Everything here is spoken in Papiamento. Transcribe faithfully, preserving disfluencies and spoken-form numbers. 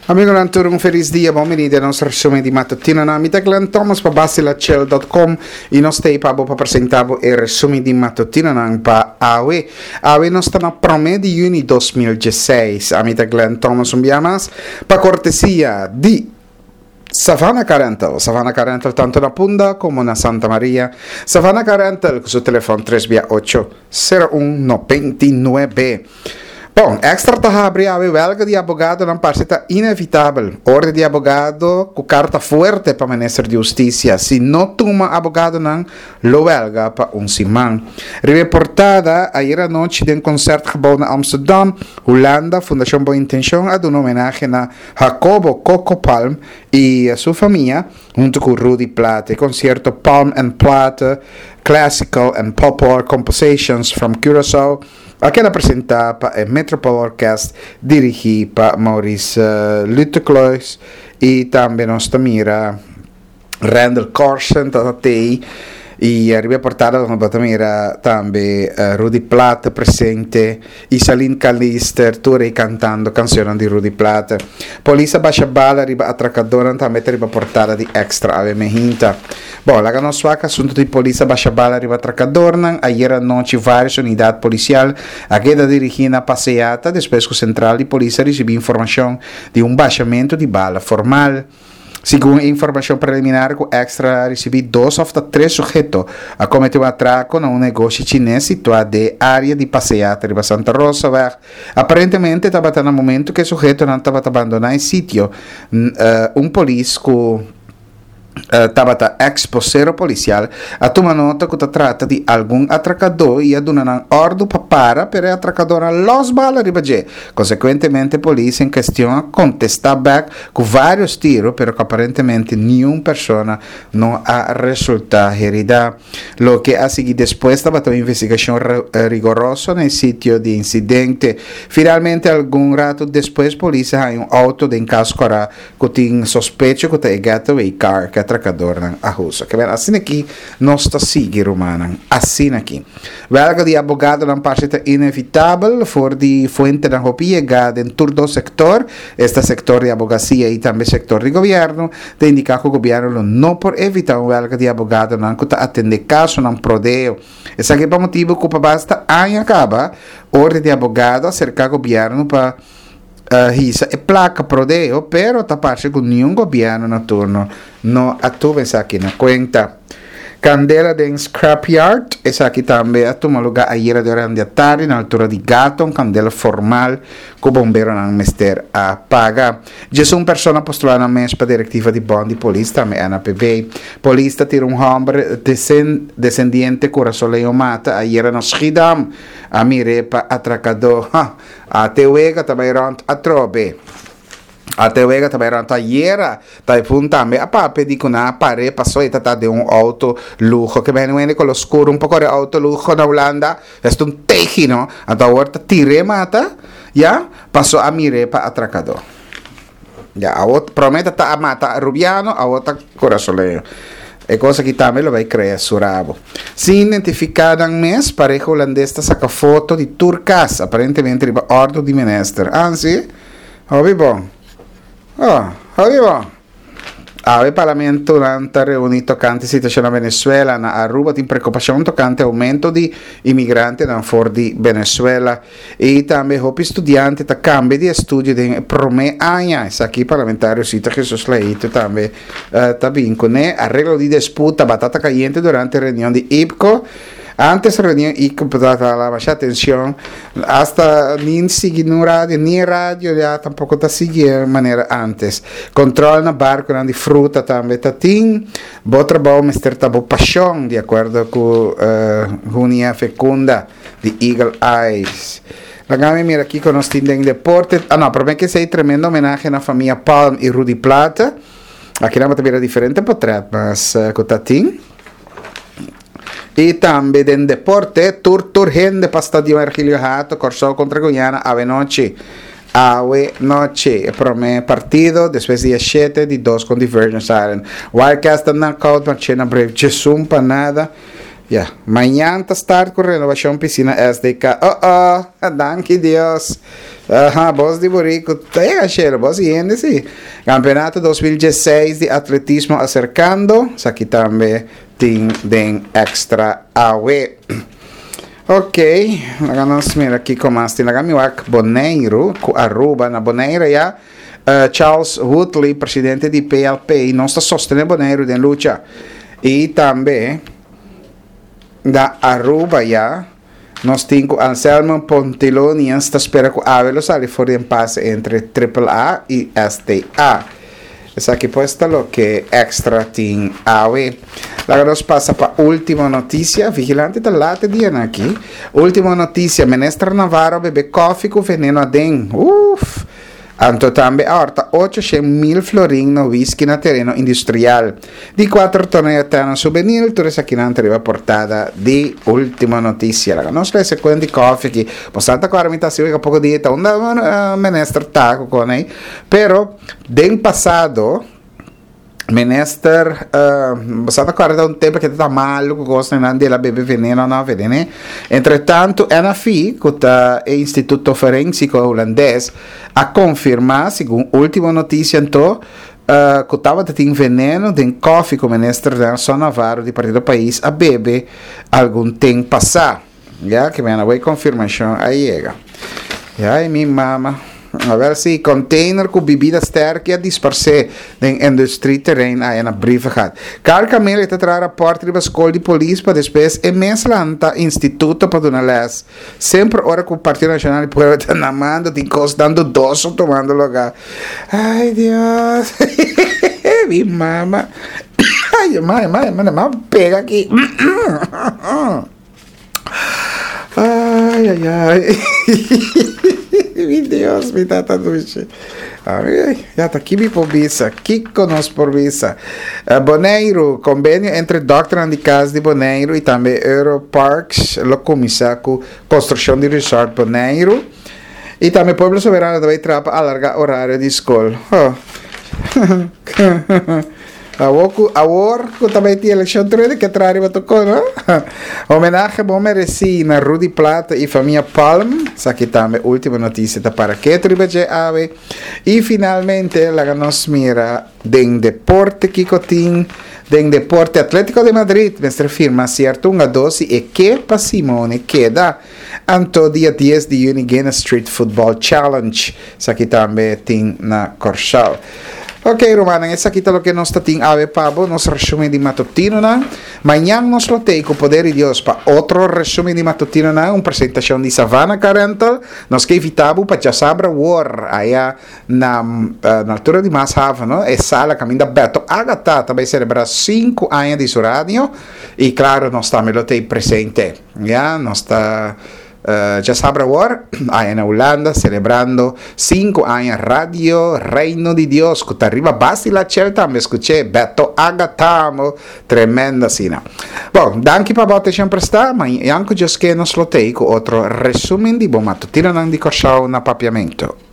Amigonan tur un felis dia, bon bini den nos resumen di matutino. Mi ta Glenn Thomas pa Basilachel punto com y nos t'ey pa pa presenta e resumen di matutino pa awe. Awe nos ta na prome di juni dos mil diesseis. Ami ta Glenn Thomas un biaha mas pa cortesia di Savannah Car Rental. Savannah Car Rental tanto na Punda como na Santa Maria. Savannah Car Rental cu su telefon tres ocho, cero un, noventa y nuebe. Bon, Extra ta habri awe: welga di abogadonan parce ta inevitabel. Orde di abogado cu carta fuerte pa minister di Husticia. Si no tuma abogadonan, lo welga pa un siman. Riba portada, ayera nochi den Concertgebouw na Amsterdam, Hulanda, Fundacion Bon Intencion a duna homenahe na Jacobo Coco Palm y su famia, hunto cu Rudy Plaate. Concierto Palm and Plaate, Classical and Popular Compositions from Curaçao, a keda presenta pa e Metropole Orkest, dirigi pa Maurice uh, Luteklois, y tambe nos ta mira Randall Corsen t'ey y riba portada nos ta mira tambe uh, Rudy Plaate presente y Saline Calister tur cantando cancion di Rudy Plaate. Polis a basha bala riba atracador tambe riba portada di Extra awe mainta. Bon, laga nos wak asunto di polis a basha bala riba atracador. Ayera nochi varios unidad policial a keda dirigi na Paseata despues cu central di polis a ricibi informacion di un bashamento di bala formal. Segun informacion preliminar cu Extra a ricibi, dos of tres suheto a comete un atraco na un negoshi chines situa den area di Paseata riba Santa Rosa. Aparentemente tabata na momento cu e suhetonan tabata bandona e sitio, un polis cu uh, tabata ex-bosero policial a tuma nota cu ta trata di algun atracador y a duna nan ordo pa para, pero e atracador a los bala riba dje. Consecuentemente, polis en cuestion a contesta back cu varios tiro, pero cu aparentemente ningun persona no a resulta herida. Loke a sigui despues tabata un investigacion riguroso na sitio di incidente. Finalmente, algun rato despues, polis a haya un auto den casco cu tin sospecho cu ta e getaway car cu atracadornan a usa. Kiermen, asina aki nos ta sigui, rumannan. Asina aki. Welga di abogadonan parce ta inevitabel. For di fuentenan hopi yega den tur dos sector, esta sector di abogacia y tambe sector di gobierno, ta indica cu gobierno no por evita un welga di abogadonan cu ta atende casonan pro deo. Esaki pa motibo cu basta aña caba, orde di abogado a acerca gobierno pa uh, hisa e placa pro deo, pero ta parce cu ningun gobierno na turno no a tuma esaki na cuenta. Candela den scrapyard, esaki tambe a tuma luga ayera durante atardi na altura di Gato, candela formal cu bomberonan mester a paga. Un persona a postula nan mes pa directiva di Bond di Polis, tambe N A P B. Polis ta tira un homber descendiente curasoleño mata ayera na Schiedam. A mir'e pa atracador. Ata wega ta bay rond atrobe. Ata wega ta bay rond ayera. Typhoon tambe a papia di cu nan a par'e paso e ta den un auto luho cu ben wende con oscuro un poco de auto luho na Hulanda. Esta un teji, no? Anto awor ta tir'e mata, ya, paso a mir'e pa atracador. Ya, awor prome ta a mata Rubiano, awor ta curasoleño. E cos aki tambe lo bay crea su rabo. Sin identifica nan mes, pareha hulandes ta saca foto di tur cas, aparentemente riba ordo di minister. Ah, si? Hopi bon. Oh, hopi bon. Awe parlamento ta reuni tocante situacion na Venezuela. Na Aruba tin preocupacion tocante aumento di imigrantenan for di Venezuela. Y tambe hopi studiante ta cambia di estudio den prome aña. Esaki parlamentario Zita Jesus Leito tambe uh, ta bin cune. Areglo di disputa, batata cayente durante reunion di I P C O. Antes reunion I P C O tabata masha atencion, hasta ni sigui no radio, ni radio ya tampoco ta sigui manera antes. Control na barco di fruta tambe ta tin. Bo trabou mester ta bo pasion, di acuerdo cu uh, Junia Fecunda di Eagle Eyes. Laga mi mira aki cu nos tin den deporte. Ah, no, pero cu esey, tremendo homenahe na famia Palm y Rudy Plaate. Aki nos ta mira diferente portret, mas uh, cu ta tin. Y tambe den deporte, tur tur hende pa Stadion Ergilio Hato, Corsou contra Guyana, awe nochi. Awe nochi, prome partido, despues dia shete di dos contra Virgin Island. Wildcats ta knockout, Marchena Brave, diesun pa nada. Ya, mañan ta start ku renovashon pisina S D K. Oh oh, danki Dios. Aha, bos di burico, tega shelo, bos hende si. Campeonato dos mil diesseis di atletismo aserkando, esaki tambe tin den Extra awe. Ok, awor nos mira aki kon tin laga mi wak Boneiru, ku Aruba, na Bonaire ya, uh, Charles Woodley, presidente di P L P, nos ta sostené Boneiru den lucha. I tambe na Aruba ya, nos tin ku Anselmo Ponteloni ta spera ku awe lo sali for di impasse entre A A A i S T A. Esaki pues ta loke Extra tin awe. Awor nos pasa pa Ultimo Noticia. Vigilante ta late dia aki. Ultimo Noticia. Minister Navarro bebe koffie ku veneno aden. Uf. Anto tambe a hòrta ocho mil florin na whisky na tereno industrial. Di kuater torneo eterno juvenil, tur esaki nan riba portada di Ultimo Noticia. Laga nos lesa kuenta di koffie aki. Bastante awor mi ta asina poko dia ta unda uh, minister ta kuné. Pero den pasado minister uh, bastante awor un tempu ku ta malu ku kos nan el a bebe veneno no veneno. Entretantu, N F I, ku ta e Instituto Forensiko Hulandes, a konfirmá, segun Ultimo Noticia anto, uh, ku tabatin veneno den koffie ku minister Nelson Navarro di Partido Pais a bebe algun tempu pasá. Ya ke mi a konfirmashon a yega. Ya, mi mama. A ber si container ku bebida sterk a disparsé den industrieterrein ei na Brievengat. Carl Camille ta traha rapport riba skol di polis pa despues e mes lanta instituto pa duna les. Semper ora ku Partido Nashonal di Pueblo ta na mando, tin kos dando dos tumando lugá. Ai, Dios. Mi mama. Ai, mama, mama, mama, pega aki. Ai, ai, ai. Mi Dios, mi tata dushi. Ai, ya ta aki mi por bisa. Kiko nos por bisa. Uh, Boneiru, konvenio entre dòkter di kas di Boneiru i tambe Europarks lo kuminsá ku konstrukshon di resort Boneiru. I tambe Pueblo Soberano tambe ta traha pa alargá orario di skol. Oh. Awor ku awor ku tambe tin elekshon tur ke traha riba toko, no? Homenahe bon meresí na Rudy Plata i famia Palm. Esaki tambe Ultimo Noticia ta para ketu riba dje awe. I finalmente laga nos mira den deporte kiko tin. Den deporte, Atlético de Madrid mester firma sierto hungadó si e ke pa Simeone keda. Anto dia dies di yüni Guinness Street Football Challenge. Esaki tambe tin na Kòrsou. Ok, ruman, esaki ta loke nos tin awe pa bo, nos resumen di matutino nan. Mañan nos lo tin ku poder di Dios pa otro resumen di matutino nan, un presentashon di Savannah Car Rental. Nos ke invitá bo pa djasabra awor, aya na, uh, na altura di Maashaven, no? E sala kaminda Beto Agatha tambe selebrá sinku aña di su radio. I klaro, nos tambe lo tin presente. Ya, nos ta Uh, djasabra awor, aya na Hulanda, selebrando sinku aña Radio Reino di Dios, ku ta riba Basila Chel tambe, skucha, Beto Agatha, tremendo asina. Bon, danki pa bo atenshon prestá, mañan ku Dios ke nos lo tin ku otro resumen di bo matutino di Kòrsou na papiamento.